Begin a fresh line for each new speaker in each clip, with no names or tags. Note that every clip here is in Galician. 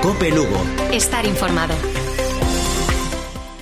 COPE Lugo.
Estar informado.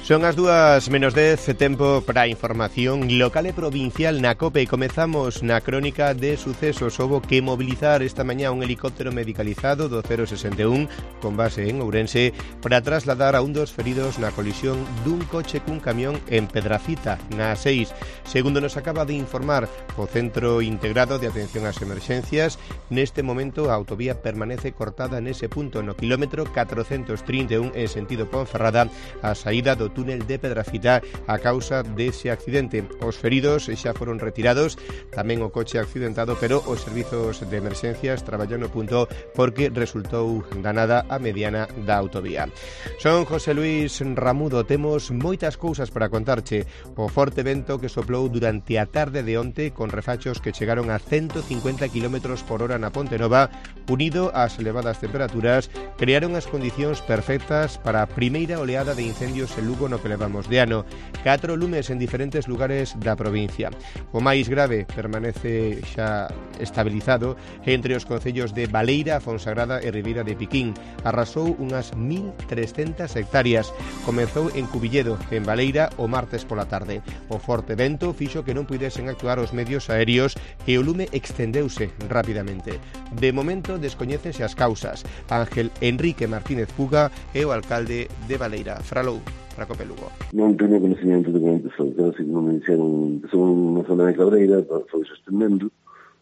Son as 2:10, tempo para a información local e provincial na COPE. Comezamos na crónica de sucesos. Houbo que mobilizar esta mañá un helicóptero medicalizado do 061 con base en Ourense para trasladar a un dos feridos na colisión dun coche cun camión en Pedrafita, na A6. Segundo nos acaba de informar o Centro Integrado de Atención ás Emerxencias, neste momento a autovía permanece cortada nese punto no quilómetro 431 en sentido Ponferrada, a saída do túnel de Pedrafita a causa dese accidente. Os feridos xa foron retirados, tamén o coche accidentado, pero os servizos de emerxencias traballan no punto porque resultou danada a mediana da autovía. Son José Luis Ramudo, temos moitas cousas para contarche. O forte vento que soplou durante a tarde de onte con refachos que chegaron a 150 km por hora na Ponte Nova, unido ás elevadas temperaturas, crearon as condicións perfectas para a primeira oleada de incendios en Lugo no que levamos de ano. 4 lumes en diferentes lugares da provincia. O máis grave permanece xa estabilizado entre os concellos de Baleira, Fonsagrada e Ribeira de Piquín. Arrasou unhas 1.300 hectáreas. Comezou en Cubilledo, en Baleira, o martes pola tarde. O forte vento fixo que non puidesen actuar os medios aéreos e o lume extendeuse rapidamente. De momento descoñécense as causas. Ángel Enrique Martínez Puga é o alcalde de Baleira. Fralou para COPE Lugo.
Non teño conhecimento de como empezou, pero así non me dixeron que son unha zona de Cabreira, foi sostendendo.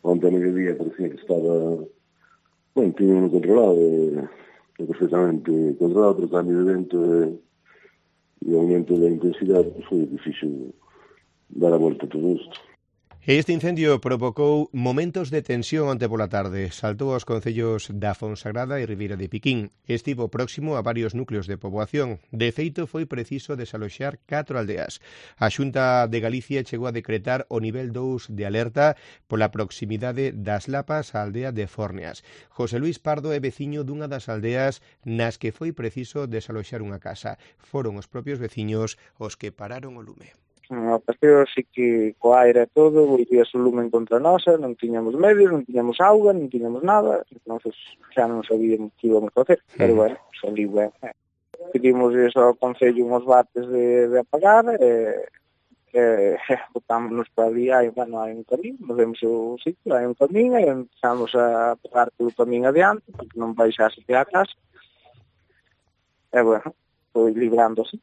Onte a mediodía parecía que estaba, tiño controlado, perfectamente controlado, pero o cambio de vento e o aumento da intensidade foi difícil dar a volta a todo isto.
Este incendio provocou momentos de tensión onte pola tarde. Saltou aos concellos da Fonsagrada e Ribeira de Piquín. Estivo próximo a varios núcleos de poboación. De feito, foi preciso desaloxar 4 aldeas. A Xunta de Galicia chegou a decretar o nivel 2 de alerta pola proximidade das Lapas á aldea de Fórneas. José Luis Pardo é veciño dunha das aldeas nas que foi preciso desaloxar unha casa. Foron os propios veciños os que pararon o lume.
A paseo así que co aire e todo, volvía o lumen contra nosa, non tiñamos medios, non tiñamos auga, non tiñamos nada, entonces xa non sabíamos que íbamos a facer, pero bueno, saliu ben. Pedimos iso ao Concello uns bates de apagar, botámonos para ali, hai un camín, nos vemos o sitio, hai un camín, e empezamos a pegar polo camín adiante, porque non baixase a casa, e bueno, foi librando así.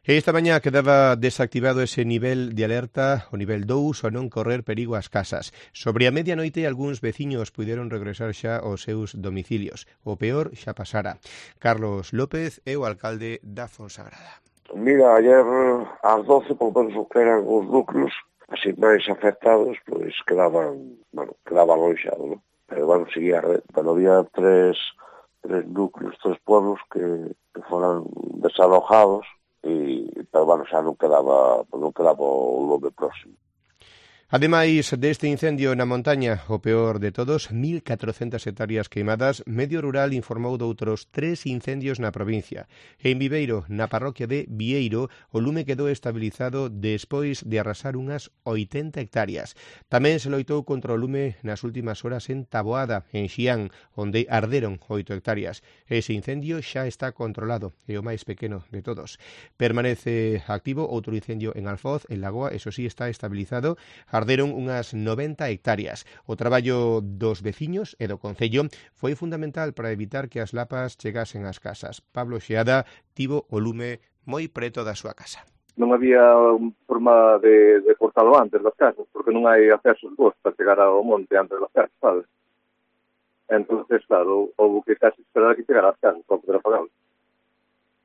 Esta mañá quedaba desactivado ese nivel de alerta, o nivel 2, ao non correr perigo ás casas. Sobre a medianoite, algúns veciños puideron regresar xa aos seus domicilios. O peor xa pasara. Carlos López é o alcalde da Fonsagrada.
Mira, ayer ás 12, por menos que eran os núcleos, así máis afectados, pois quedaban lonxados, non? Pero seguía a red. Pero había tres núcleos, 3 pueblos que foran desalojados, pero xa non quedaba o lume próximo.
Ademais deste incendio na montaña, o peor de todos, 1.400 hectáreas queimadas, Medio Rural informou de outros 3 incendios na provincia. En Viveiro, na parroquia de Vieiro, o lume quedou estabilizado despois de arrasar unhas 80 hectáreas. Tamén se loitou contra o lume nas últimas horas en Taboada, en Xián, onde arderon 8 hectáreas. Ese incendio xa está controlado, é o máis pequeno de todos. Permanece activo outro incendio en Alfoz, en Lagoa, eso sí está estabilizado. Arderon unhas 90 hectáreas. O traballo dos veciños e do Concello foi fundamental para evitar que as lapas chegasen ás casas. Pablo Xeada tivo o lume moi preto da súa casa.
Non había forma de cortalo antes das casas, porque non hai accesos bons para chegar ao monte antes das casas, sabes? Entonces, claro, houve que casi esperar a que chegara ás casas para poder apagarlo.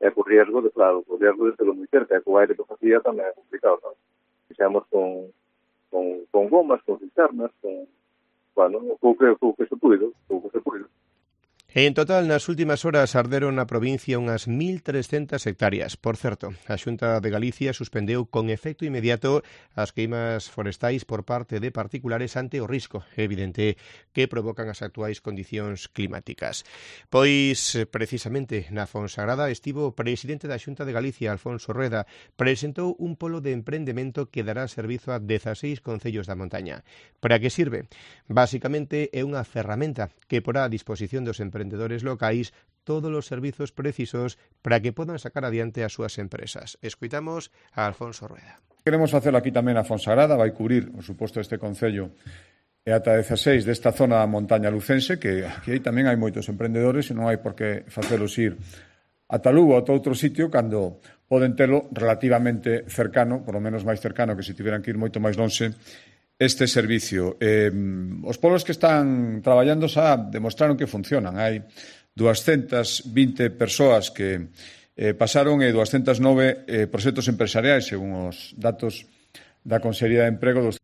E co riesgo de telo moi cerca, e co aire que facía tamén é complicado, sabes? Fixemos con gomas, con cisternas, o que se puido.
En total, nas últimas horas arderon na provincia unhas 1.300 hectáreas. Por certo, a Xunta de Galicia suspendeu con efecto inmediato as queimas forestais por parte de particulares ante o risco evidente que provocan as actuais condicións climáticas. Pois, precisamente, na Fonsagrada estivo o presidente da Xunta de Galicia, Alfonso Rueda, presentou un polo de emprendemento que dará servizo a 16 concellos da montaña. Para que sirve? Basicamente é unha ferramenta que porá a disposición dos empresarios emprendedores locais todos os servizos precisos para que podan sacar adiante as súas empresas. Escoitamos a Alfonso Rueda.
Queremos facelo aquí tamén a Fonsagrada, vai cubrir, por suposto, este concello e ata 16 desta zona da montaña lucense, que aquí tamén hai moitos emprendedores e non hai por que facelos ir ata Lugo ou a outro sitio cando poden telo relativamente cercano, por lo menos máis cercano que se tiveran que ir moito máis lonxe, este servicio. Os polos que están traballando xa demostraron que funcionan. Hai 220 persoas que pasaron e 209 proxectos empresariais, según os datos da Consellería de Emprego.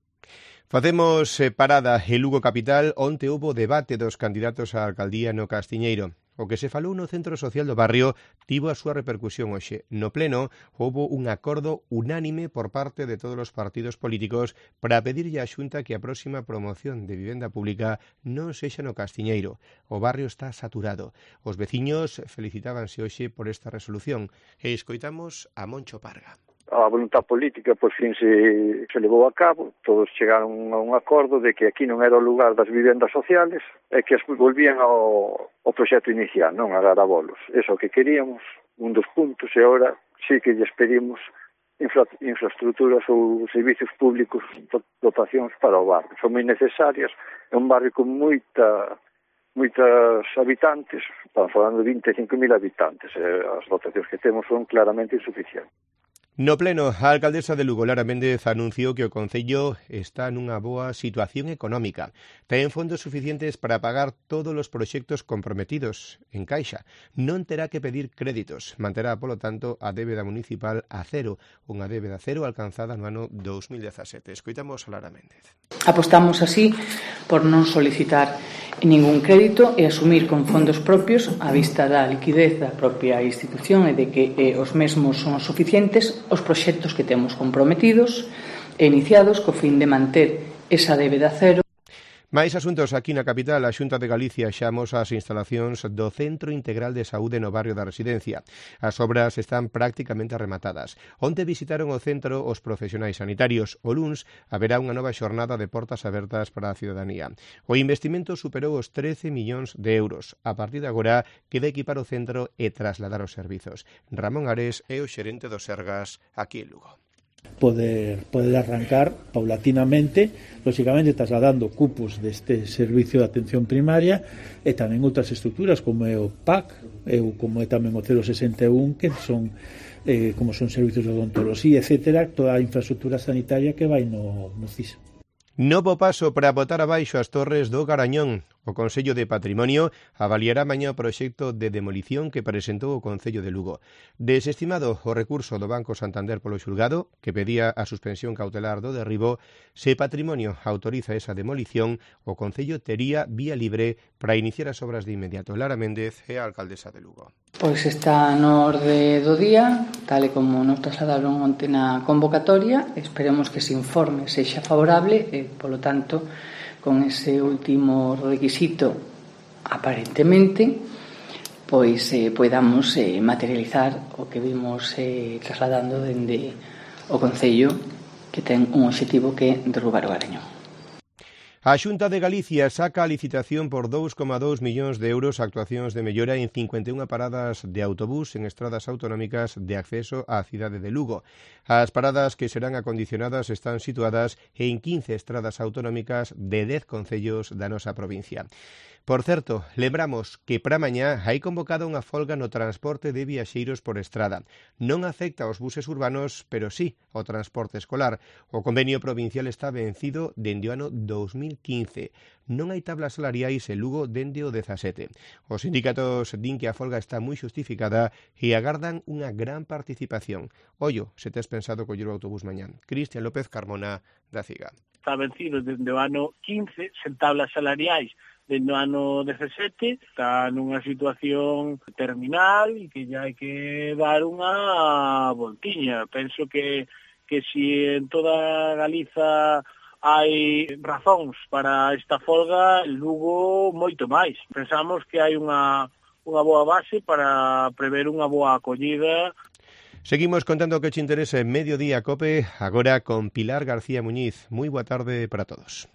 Facemos parada en Lugo capital, onte houbo debate dos candidatos á alcaldía no Castiñeiro. O que se falou no Centro Social do Barrio tivo a súa repercusión hoxe. No pleno, houbo un acordo unánime por parte de todos os partidos políticos para pedirlle á Xunta que a próxima promoción de vivenda pública non sexa no Castiñeiro. O barrio está saturado. Os veciños felicitábanse hoxe por esta resolución. E escoitamos a Moncho Parga.
A voluntad política, por fin, se levou a cabo. Todos chegaron a un acordo de que aquí non era o lugar das vivendas sociales e que volvían ao proxecto inicial, non a dar abolos. Eso que queríamos, un dos puntos, e agora sí que lles pedimos infraestructuras ou servicios públicos, dotacións para o barrio. Son moi necesarias. É un barrio con moitas habitantes, estamos falando de 25.000 habitantes, e as dotacións que temos son claramente insuficientes.
No pleno, a alcaldesa de Lugo, Lara Méndez, anunciou que o concello está nunha boa situación económica. Ten fondos suficientes para pagar todos os proxectos comprometidos en caixa. Non terá que pedir créditos. Manterá, polo tanto, a débeda municipal a cero, unha débeda cero alcanzada no ano 2017. Escoitamos a Lara Méndez.
Apostamos así por non solicitar ningún crédito e asumir con fondos propios a vista da liquidez da propia institución e de que os mesmos son suficientes os proxectos que temos comprometidos e iniciados co fin de manter esa débeda cero.
Mais asuntos aquí na capital, a Xunta de Galicia xa amosa as instalacións do Centro Integral de Saúde no barrio da Residencia. As obras están prácticamente rematadas. Onte visitaron o centro os profesionais sanitarios. O luns haberá unha nova xornada de portas abertas para a ciudadanía. O investimento superou os 13 millóns de euros. A partir de agora, queda equipar o centro e trasladar os servizos. Ramón Ares é o xerente do Sergas aquí en Lugo.
Poder arrancar paulatinamente, lógicamente trasladando cupos deste servicio de atención primaria e tamén outras estructuras como é o PAC como é tamén o 061 que son como son servicios de odontoloxía, etcétera, toda a infraestructura sanitaria que vai no CIS.
Novo paso para botar abaixo as torres do Garañón. O Consello de Patrimonio avaliará mañá o proxecto de demolición que presentou o Concello de Lugo. Desestimado o recurso do Banco Santander polo xulgado, que pedía a suspensión cautelar do derribo, se Patrimonio autoriza esa demolición, o Concello tería vía libre para iniciar as obras de inmediato. Lara Méndez é a alcaldesa de Lugo.
Pois está no orde do día, tal e como nos trasladaron onte na convocatoria. Esperemos que ese informe sexa favorable e, polo tanto, con ese último requisito, aparentemente, pois podamos materializar o que vimos trasladando dende o Concello, que ten un obxectivo que é derrubar o Garañón.
A Xunta de Galicia saca a licitación por 2,2 millóns de euros a actuacións de mellora en 51 paradas de autobús en estradas autonómicas de acceso á cidade de Lugo. As paradas que serán acondicionadas están situadas en 15 estradas autonómicas de 10 concellos da nosa provincia. Por certo, lembramos que para mañá hai convocada unha folga no transporte de viaxeiros por estrada. Non afecta aos buses urbanos, pero sí ao transporte escolar. O convenio provincial está vencido dende o ano 2015. Non hai tablas salariais en Lugo dende o 17. Os sindicatos din que a folga está moi xustificada e agardan unha gran participación. Ollo, se tes pensado coller o autobús mañán. Cristian López Carmona, da CIGA.
Está vencido dende o ano 15, sen tablas salariais dende o ano 17, está nunha situación terminal e que ya hai que dar unha voltiña. Penso que si en toda Galiza hai razóns para esta folga, en Lugo moito máis. Pensamos que hai unha boa base para prever unha boa acollida.
Seguimos contando o que te interesa en Mediodía Cope, agora con Pilar García Muñiz. Moi boa tarde para todos.